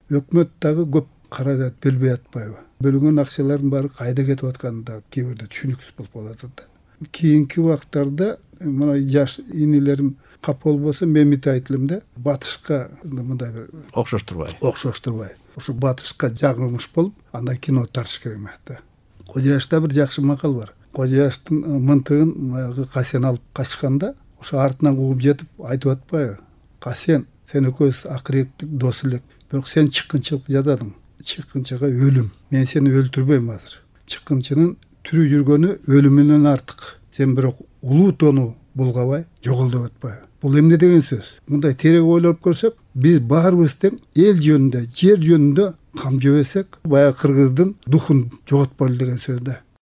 өкмөт дагы көп каражат бөлбөй атпайбы? Бөлүнгөн акчалардын баары кайда кетип атканы да кээ бирде түшүнүксүз болуп калат да. Кийинки убактарда мына жаш инилерим кап болбосо мен мынтип айт элем да, батышка мындай бир окшоштурбай ошо батышка жагылмыш болуп андан кино тартыш керек эмес да. Кожояшта бир жакшы макал бар. Кожояштын мынтыгын баягы Касен алып качканда ошо артынан кууп жетип айтып атпайбы? Касен, сен экөөбүз акыреттик дос элек, бирок сен чыккынчылык жасадың. Чыккынчыга өлүм. Мен сени өлтүрбөйм азыр. Чыккынчынын тирүү жүргөнү өлүмүнөн артык. Сен бирок улуу тоону булгабай, жоголдоп атпайбы? Бул эмне деген сөз? Мындай терек ойлоп көрсөк, биз баарыбыз тең эл жөнүндө, жер жөнүндө кам жебесек, баягы кыргыздын духун жоготпойлу деген сөз да.